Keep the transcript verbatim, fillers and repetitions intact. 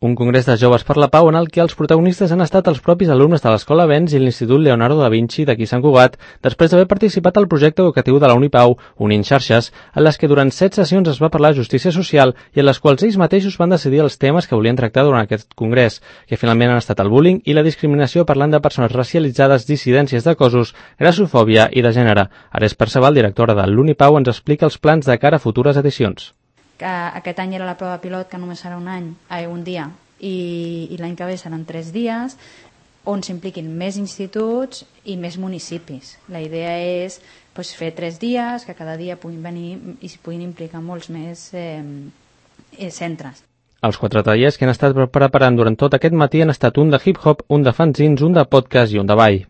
Un congrés de joves per la pau en el que els protagonistes han estat els propis alumnes de l'Escola Benz i l'Institut Leonardo da Vinci d'aquí Sant Cugat, després d'haver participat al projecte educatiu de la Unipau, Unint Xarxes, en les que durant set sessions es va parlar de justícia social i en les quals ells mateixos van decidir els temes que volien tractar durant aquest congrés, que finalment han estat el bullying i la discriminació parlant de persones racialitzades, dissidències de cossos, grassofòbia i de gènere. Ares Perceval, directora de l'Unipau, ens explica els plans de cara a futures edicions. Que aquest any era la prova pilot, que només serà un any, eh, un dia, i, i l'any que ve seran tres dies, on s'impliquin més instituts i més municipis. La idea és pues, fer tres dies, que cada dia puguin venir i s'hi puguin implicar molts més eh, eh, centres. Els quatre tallers que han estat preparant durant tot aquest matí han estat un de hip-hop, un de fanzines, un de podcast i un de ball.